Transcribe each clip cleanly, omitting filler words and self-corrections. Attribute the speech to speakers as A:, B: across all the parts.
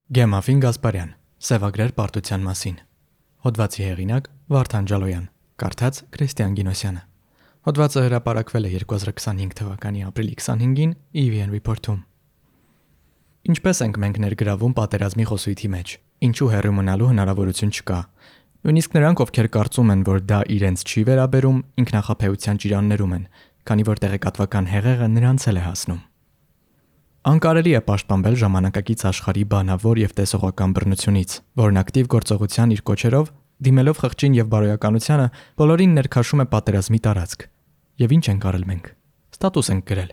A: Գեմաֆին Գասպարյան, Սևագրեր պարտության մասին։ Հոդվածի հեղինակ Վարդան Ջալոյան, կարդաց Քրիստիան Գինոսյանը։ Հոդվածը հրապարակվել է 2025 թվականի ապրիլի 25-ին EVN Report-ում։ Ինչպես ենք մենք ներգրավում պատերազմի խոսույթի մեջ, ինչու հեռու մնալու հնարավորություն չկա։ Նույնիսկ նրանք, ովքեր կարծում են, որ դա իրենց չի վերաբերում, ինքնախապեյության ճիրաններում են, քանի որ տեղեկատվական հեղեղը նրանց էլ է հասնում։ Անկարելի է պաշտպանվել ժամանակակից աշխարհի բանավոր եւ տեսողական բռնությունից, որն ակտիվ գործողության իր կոչերով, դիմելով խղճին եւ բարոյականությանը, բոլորին ներքաշում է պատերազմի տարածք։ Եվ ինչ ենք արել մենք։ Ստատուս ենք գրել։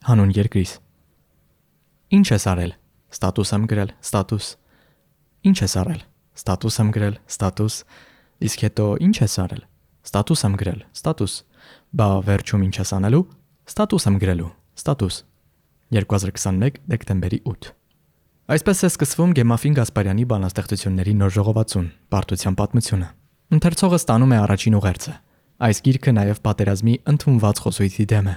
A: Հանուն երկրից։ Ինչ ես արել։ Ստատուս եմ գրել, ստատուս։ Ինչ ես արել։ Ստատուս եմ գրել, ստատուս։ Իսկ հետո ինչ ես արել։ Ստատուս եմ գրել, ստատուս։ Բա վերջում ինչ ես անելու։ Ստատուս եմ գրելու, ստատուս։ 2021 դեկտեմբերի 8։ Այսպես է սկսվում Գեմաֆին Գասպարյանի բանաստեղծությունների նոր ժողովածուն, Պարտության պատմությունը։ Ընթերցողը ստանում է առաջին ուղերձը։ Այս գիրքը նաև պատերազմի ընդունված խոսույթի դեմ է։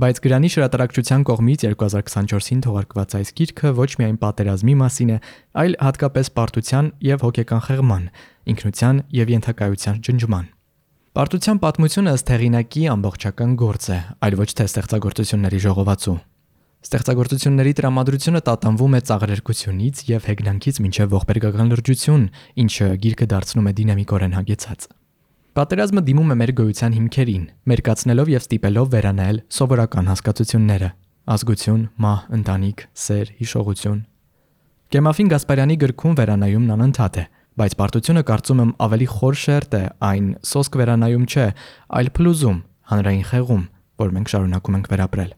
A: Բայց Գրանի հրատարակչության կողմից 2024-ին թողարկված այս գիրքը ոչ միայն պատերազմի մասին է, այլ հատկապես պարտության եւ հոգեկան խեղման, ինքնության եւ ենթակայության ջնջման։ Պարտության պատմությունը ըստ հեղինակի ամբողջական գործ է, այլ ոչ թե ստեղծագործությունների ժողովածու։ Ստեղծագործությունների տրամադրությունը տատանվում է ծաղրերկությունից եւ հեգնանքից մինչեւ ողբերգական լրջություն, ինչը գիրքը դարձնում է դինամիկորեն հագեցած։ Պատերազմը դիմում է մեր գոյության հիմքերին, մերկացնելով եւ ստիպելով վերանայել սովորական հասկացությունները՝ ազգություն, մահ, ընտանիք, սեր, հիշողություն։ Գեմաֆին Գասպարյանի գրքում վերանայումն անընդհատ է, բայց պարտությունը կարծում եմ ավելի խոր շերտ է, այն սոսկ վերանայում չէ, այլ փլուզում, հանրային խեղում, որ մենք շարունակում ենք վերապրել։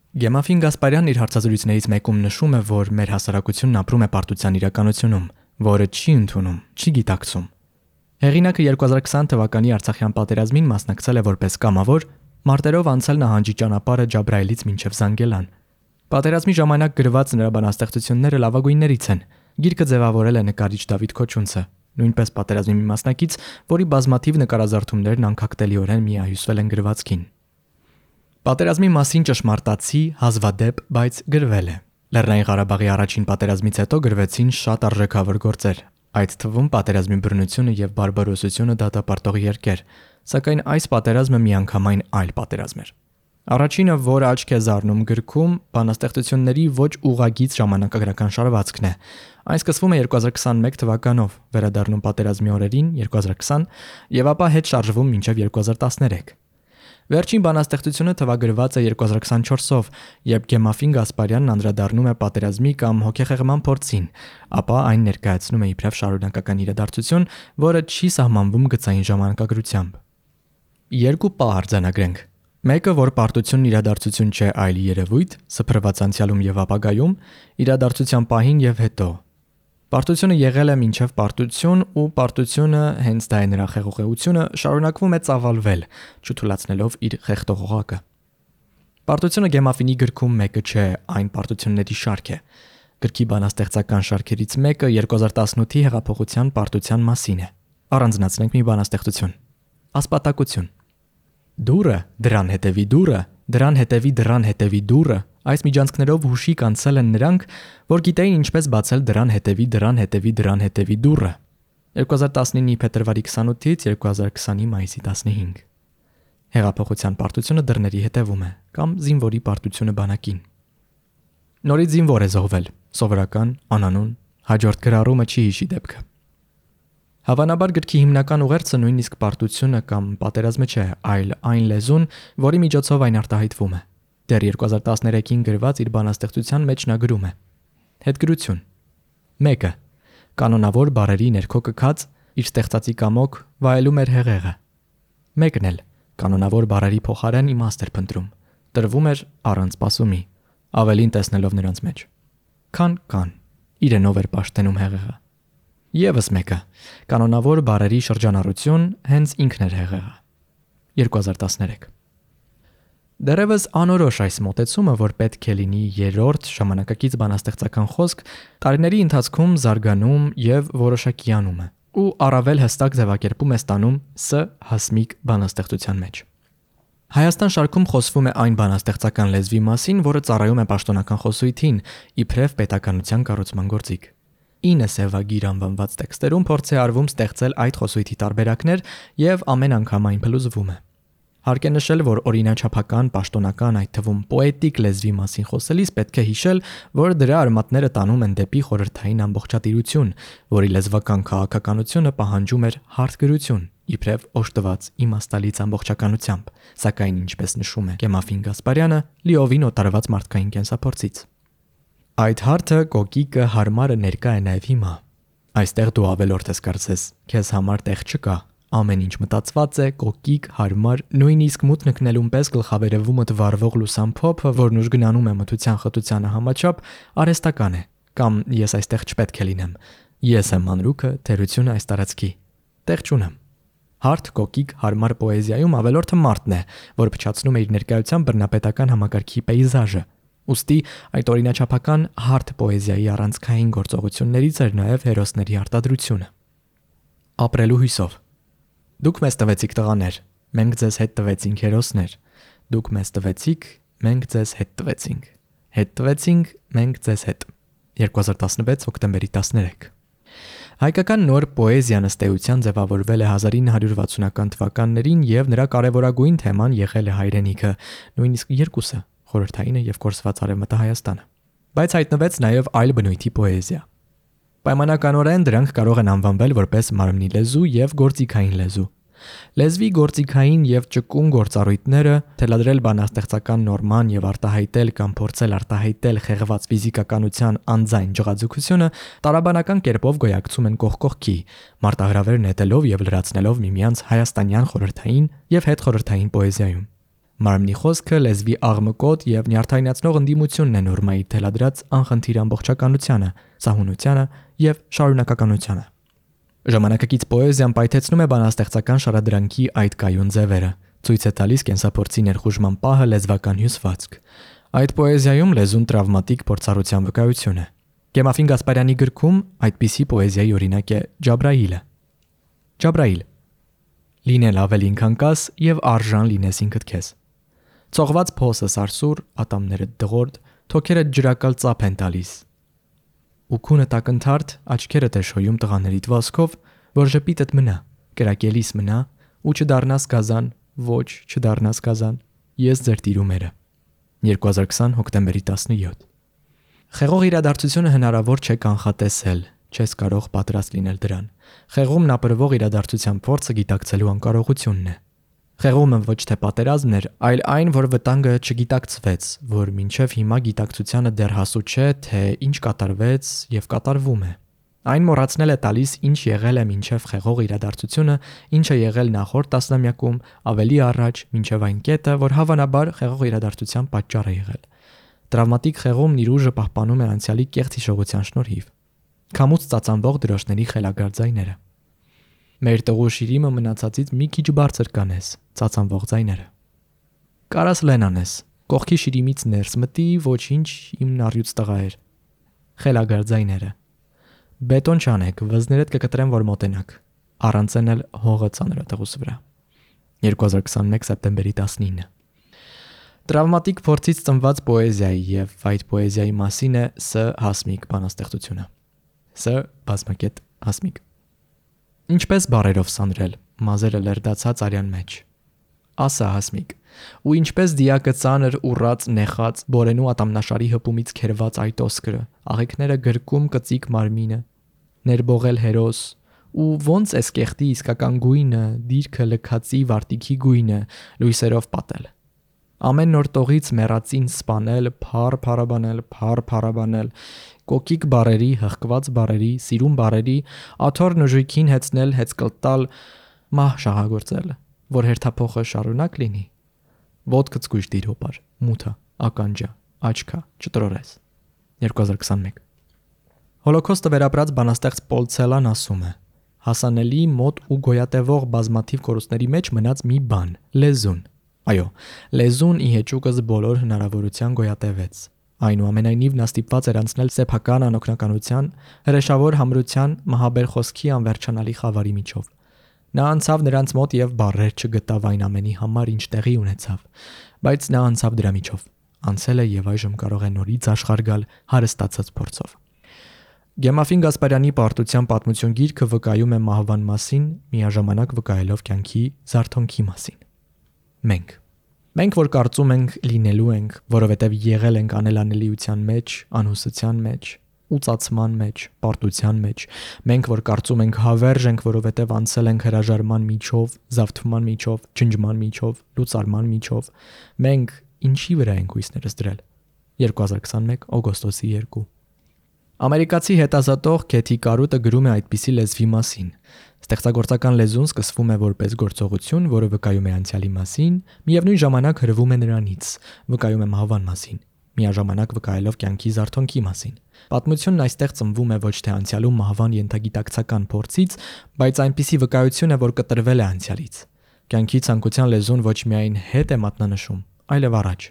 A: Գեմաֆին Գասպարյանն իր հարցազրույցներից մեկում նշում է, որ մեր հասարակությունն ապրում է պարտության իրականությունում, որը չի ընդունում, չի գիտակցում։ Հեղինակը 2020 թվականի Արցախյան պատերազմին մասնակցել է որպես կամավոր, մարտերով անցել նահանջի ճանապարհը Ջաբրայելից մինչև Զանգելան։ Պատերազմի ժամանակ գրված նրա բանաստեղծությունները լավագույններից են։ Գիրքը ձևավորել է նկարիչ Դավիթ Քոչունցը, նույնպես պատերազմի մի մասնակից, որի բազմաթիվ նկարազարդումներն անկախտելիորեն միահյուսվել են գրվածքին։ Պատերազմի մասին ճշմարտացի, հազվադեպ, բայց գրվել է։ Լեռնային Ղարաբաղի առաջին պատերազմից հետո գրվեցին շատ արժեքավոր գործեր, այդ թվում պատերազմի բռնությունը եւ բարբարոսությունը դատապարտող երկեր, սակայն այս պատերազմը միանգամայն այլ պատերազմ էր։ Առաջինը, որ աչք է զարնում գրքում, բանաստեղծությունների ոչ ուղղագիծ ժամանակագրական շարվածքն է։ Այն սկսվում է 2021 թվականով, վերադառնում պատերազմի օրերին 2020 եւ ապա հետ շարժվում մինչեւ 2013։ Վերջին բանաստեղծությունը թվագրված է 2024-ով, երբ Գեմաֆին Գասպարյանն անդրադառնում է պատերազմի կամ հոգեխեղման փորձին, ապա այն ներկայացնում է իբրև շարունակական իրադարձություն, որը չի սահմանվում գծային ժամանակագրությամբ։ Երկու պահ արձանագրենք։ Մեկը, որ պարտությունն իրադարձություն չէ, այլ երևույթ, սփռված անցյալում եւ ապագայում, իրադարձության պահին եւ հետո։ Պարտությունը եղել է մինչև պարտություն ու պարտությունը, հենց դա է նրա խեղողությունը, շարունակվում է ծավալվել, չթույլատնելով իր խեղդող օղակը։ Պարտությունը Գեմաֆինի գրքում մեկը չէ, այն պարտությունների շարք է։ Գրքի բանաստեղծական շարքերից մեկը 2018-ի հեղափոխության պարտության մասին է։ Առանձնացնենք մի բանաստեղծություն։ Ասպատակություն։ Դուրը, դրան հետևի դուրը, դրան հետևի դրան հետևի դուրը, այս միջանցքներով հուշի կանցել են նրանք, որ գիտեին ինչպես բացել դրան հետևի դրան հետևի դրան հետևի դուրը։ 2019-ի փետրվարի 28-ից 2020-ի մայիսի 15։ Հեղափոխության պարտությունը դռների հետևում է, կամ զինվորի պարտությունը բանակին։ Նորից զինվոր է զոհվել, սովորական, անանուն, հաջորդ գրառումը չի հիշի դեպքը։ Հավանաբար գրքի հիմնական ուղերձը նույնիսկ պարտությունը կամ պատերազմը չէ, այլ այն լեզուն, որի միջոցով այն արտահայտվում է։ Դեռ 2013-ին գրված իր բանաստեղծության մեջ նա գրում է. Հետգրություն 1. Կանոնավոր բարերի ներքո կքած իր ստեղծածի կամոք վայելում էր հեղեղը։ Մեկն էլ կանոնավոր բարերի փոխարեն իմաստ էր փնտրում, տրվում էր առանց սպասումի, ավելին տեսնելով նրանց մեջ։ Քան իրենով էր պաշտենում հեղեղը։ Եվս մեկը կանոնավոր բարերի շրջանառություն հենց ինքն էր հեղեղը։ 2013 Դեռևս անորոշ այս մոտեցումը, որ պետք է լինի երրորդ ժամանակակից բանաստեղծական խոսք, տարիների ընթացքում զարգանում եւ որոշակիանում է, ու առավել հստակ ձևակերպում է ստանում Ս. հասմիկ բանաստեղծության մեջ։ Հայաստան շարքում խոսվում է այն բանաստեղծական լեզվի մասին, որը ծառայում է պաշտոնական խոսույթին, իբրև պետականության կառուցման գործիք։ 9 սևագիր անվանված տեքստերում փորձ է արվում ստեղծել այդ խոսույթի տարբերակներ եւ ամեն անգամ այն փլուզվում է։ Հարկ է նշել, որ օրինաչափական, պաշտոնական, այդ թվում պոետիկ լեզվի մասին խոսելիս պետք է հիշել, որ դրա արմատները տանում են դեպի խորհրդային ամբողջատիրություն, որի լեզվական քաղաքականությունը պահանջում էր հարթ գրություն, իբրև օժտված իմաստալից ամբողջականությամբ, սակայն ինչպես նշում է Կեմաֆին Գասպարյանը, լիովին օտարված մարդկային կենսափորձից։ Այդ հարթը կոկիկը հարմարը ներկա է նաև հիմա։ Այստեղ դու ավելորդ ես կարծես, քեզ համար տեղ չկա։ Ամեն ինչ մտածված է, կոկիկ, հարմար, նույնիսկ մութ նկնելուն պես գլխավերևումդ վառվող լուսամփոփը, որն ուժգնանում է մթության խտությանը համաչափ, արհեստական է, կամ ես այստեղ չպետք է լինեմ։ Ես եմ մանրուքը, թերությունը այս տարածքի։ Տեղ չունեմ։ Հարթ, կոկիկ, հարմար պոեզիայում ավելորդը մարդն է, որ փչացնում է իր ներկայությամբ բռնապետական համակարգի պեյզաժը։ Ուստի այդ օրինաչափական հարթ պոեզիայի առանցքային գործողություններից էր նաև հերոսների արտադրությունը։ Ապրելու հույսով։ Դուք մեզ տվեցիք տղաներ, մենք ձեզ հետ տվեցինք հերոսներ։ Դուք մեզ տվեցիք, մենք ձեզ հետ տվեցինք։ Հետ տվեցինք, մենք ձեզ հետ։ 2016 հոկտեմբերի 13։ Հայկական նոր պոեզիան ըստ էության ձևավորվել է 1960-ական թվականներին եւ նրա կարևորագույն թեման եղել է հայրենիքը, նույնիսկ երկուսը՝ խորհրդայինը եւ կորսված արևմտա Հայաստանը։ Բայց հայտնվեց նաեւ այլ բնույթի պոեզիա։ Պայմանականորեն դրանք կարող են անվանվել որպես մարմնի լեզու եւ գործիքային լեզու։ Լեզվի գործիքային եւ ճկուն գործառույթները թելադրել բանաստեղծական նորման եւ արտահայտել կամ փորձել արտահայտել խեղված ֆիզիկականության անձայն ջղաձգությունը տարաբանական կերպով գոյակցում են կողք կողքի, մարտահրավեր նետելով եւ լրացնելով միմյանց հայաստանյան խորհրդային եւ հետխորհրդային պոեզիայում։ Մարմնի խոսքը լեզվի աղմկոտ եւ նյարդայնացնող ընդդիմությունն է նորմայի թելադրած անխնդիր ամբողջականությանը, սահունությանը եւ շարունակականությանը։ Ժամանակակից պոեզիան պայթեցնում է բանաստեղծական շարադրանքի այդ կայուն ձևերը, ցույց է տալիս կենսափորձի ներխուժման պահը լեզվական հյուսվածք։ Այդ պոեզիայում լեզուն տրավմատիկ փորձառության վկայություն է։ Կեմաֆին Գասպարյանի գրքում այդպիսի պոեզիայի օրինակ է Ջաբրայիլը։ Ջաբրայիլ. Լինել ավելին քան կաս եւ արժան լինես ինքդ քեզ։ Ծողված փոսը սարսուր, ատամները դղորդ, թոքերը ջրակալ ծափ են տալիս։ Ու քունը տակընթարթ, աչքերը տեշոյում տղաներիդ վասկով, որ ժպիտդ մնա, կրակելիս մնա, ու չդառնաս գազան, ոչ չդառնաս գազան, ես ձեր տիրումերը։ 2020 հոկտեմբերի 17։ Խեղող իրադարձությունը հնարավոր չէ կանխատեսել, չես կարող պատրաստ լինել դրան։ Խեղումն ապրվող իրադարձության փորձը գիտակցելու անկարողությունն է։ Խեղումը ոչ թե պատերազմն էր, այլ այն, որ վտանգը չգիտակցվեց, որ մինչև հիմա գիտակցությանը դեռ հասու չէ, թե ինչ կատարվեց եւ կատարվում է։ Այն մոռացնել է տալիս, ինչ եղել է մինչև խեղող իրադարձությունը, ինչը եղել նախորդ տասնամյակում, ավելի առաջ, մինչև այն կետը, որ հավանաբար խեղող իրադարձության պատճառ է եղել։ Տրավմատիկ խեղումն իր ուժը պահպանում է անցյալի կեղծ հիշողության շնորհիվ։ Քամուց ծածանվող դրոշների խելագար ձայները։ Մեր տղու շիրիմը մնացածից մի քիչ բարձր կանես, ծածանվող ձայները։ Կարաս լենանես, կողքի շիրիմից ներս մտի, ոչինչ իմ նարյուց տղա էր։ Խելագար ձայները։ Բետոն չանեք, վզներդ կկտրեմ, որ մոտենաք։ Առանցեն էլ հողը ծանրատղուս վրա։ 2021 սեպտեմբերի 19։ Տրավմատիկ փորձից ծնված պոեզիայի եւ այդ պոեզիայի մասին է Ս. Հասմիկ բանաստեղծությունը։ Ս. Բազմակետ Հասմիկ։ Ինչպես բարերով սանրել, մազերը լերդացած արյան մեջ։ Ասա Հասմիկ, ու ինչպես դիակը ծանր ուռած նեխած բորենու ատամնաշարի հպումից քերված այդ օսկրը, աղեքները գրկում կծիկ մարմինը, ներբողել հերոս, ու ոնց էս կեղտի իսկական գույնը, դիրքը լքածի վարտիքի գույնը, լույսերով պատել։ Ամեն նոր տողից մեռածին սպանել, փառաբանել, կոկիկ բարերի, հղկված բարերի, սիրուն բարերի, աթոռ նժույքին հեծնել, հեծկլտալ, մահ շահագործել, որ հերթափոխը շարունակ լինի։ Ոտքը ցկույշ դիր հոպար, մութը, ականջա, աչքա, չտրորես։ 2021։ Հոլոքոստը վերապրած բանաստեղծ Պոլ Ցելան ասում է. հասանելի, մոտ ու գոյատևող բազմաթիվ կորուստների մեջ մնաց մի բան՝ լեզուն։ Այո, լեզուն ի հեճուկս բոլոր հնարավորության գոյատևեց։ Այնուամենայնիվ նա ստիպված էր անցնել սեփական անօգնականության, հրեշավոր համրության, մահաբեր խոսքի անվերջանալի խավարի միջով։ Նա անցավ նրանց մոտ եւ բառեր չգտավ այն ամենի համար, ինչ տեղի ունեցավ, բայց նա անցավ դրա միջով։ Անցել է եւ այժմ կարող է նորից աշխարհ գալ հարստացած փորձով։ Գեմաֆին Գասպարյանի պարտության պատմություն գիրքը վկայում է մահվան մասին, միաժամանակ վկայելով կյանքի զարթոնքի մասին։ Մենք որ կարծում ենք լինելու ենք, որովհետև եղել ենք անելանելիության մեջ, անհուսության մեջ, ուծացման մեջ, պարտության մեջ, մենք որ կարծում ենք հավերժ ենք, որովհետև անցել ենք հրաժարման միջով, զավթման միջով, ջնջման միջով, լուծարման միջով, մենք ինչի վրա ենք հույսներս դրել։ 2021 օգոստոսի 2 Ամերիկացի հետազոտող Քեթի Կարուտը գրում է այդպիսի լեզվի մասին. Ստեղծագործական լեզուն սկսվում է որպես գործողություն, որը վկայում է անցյալի մասին, միևնույն ժամանակ հրվում է նրանից, վկայում է մահվան մասին, միաժամանակ վկայելով կյանքի զարթոնքի մասին։ Պատմությունն այստեղ ծնվում է ոչ թե անցյալում մահվան ենթագիտակցական փորձից, բայց այնպիսի վկայություն է, որ կտրվել է անցյալից։ Կյանքի ցանկության լեզուն ոչ միայն հետ է մատնանշում, այլև առաջ։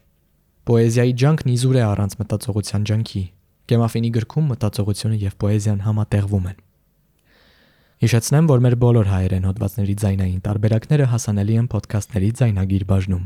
A: Պոեզիայի ջանքն իզուր է առանց մտածողության ջանքի։ Գեմաֆինի գրքում մտածողությունը եւ պոեզիան համատեղվում են։ Հիշեցնեմ, որ մեր բոլոր հայերեն հոդվածների ձայնային տարբերակները հասանելի են ոդքասթների ձայնագիր բաժնում։